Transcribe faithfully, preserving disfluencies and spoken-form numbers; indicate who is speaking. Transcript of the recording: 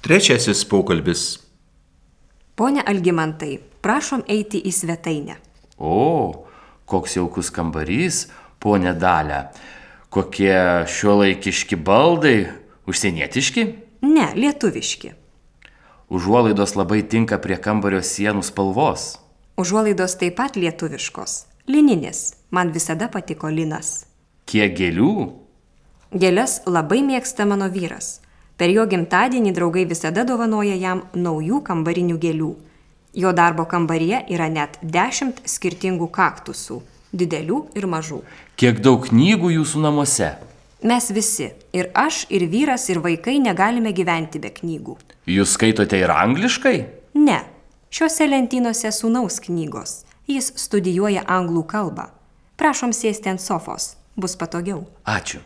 Speaker 1: Trečiasis pokalbis.
Speaker 2: Pone Algimantai, prašom eiti į svetainę.
Speaker 3: O, koks jaukus kambarys, ponė Dalia. Kokie šiuolaikiški baldai, užsienietiški?
Speaker 2: Ne, lietuviški.
Speaker 3: Užuolaidos labai tinka prie kambario sienų spalvos.
Speaker 2: Užuolaidos taip pat lietuviškos. Lininis. Man visada patiko linas.
Speaker 3: Kiek gėlių?
Speaker 2: Gėles labai mėgsta mano vyras. Per jo gimtadienį draugai visada dovanoja jam naujų kambarinių gėlių. Jo darbo kambaryje yra net dešimt skirtingų kaktusų, didelių ir mažų.
Speaker 3: Kiek daug knygų jūsų namuose?
Speaker 2: Mes visi, ir aš, ir vyras, ir vaikai negalime gyventi be knygų.
Speaker 3: Jūs skaitote ir angliškai?
Speaker 2: Ne, šiuose lentynose sūnaus knygos. Jis studijuoja anglų kalbą. Prašom sėsti ant sofos, bus patogiau.
Speaker 3: Ačiū.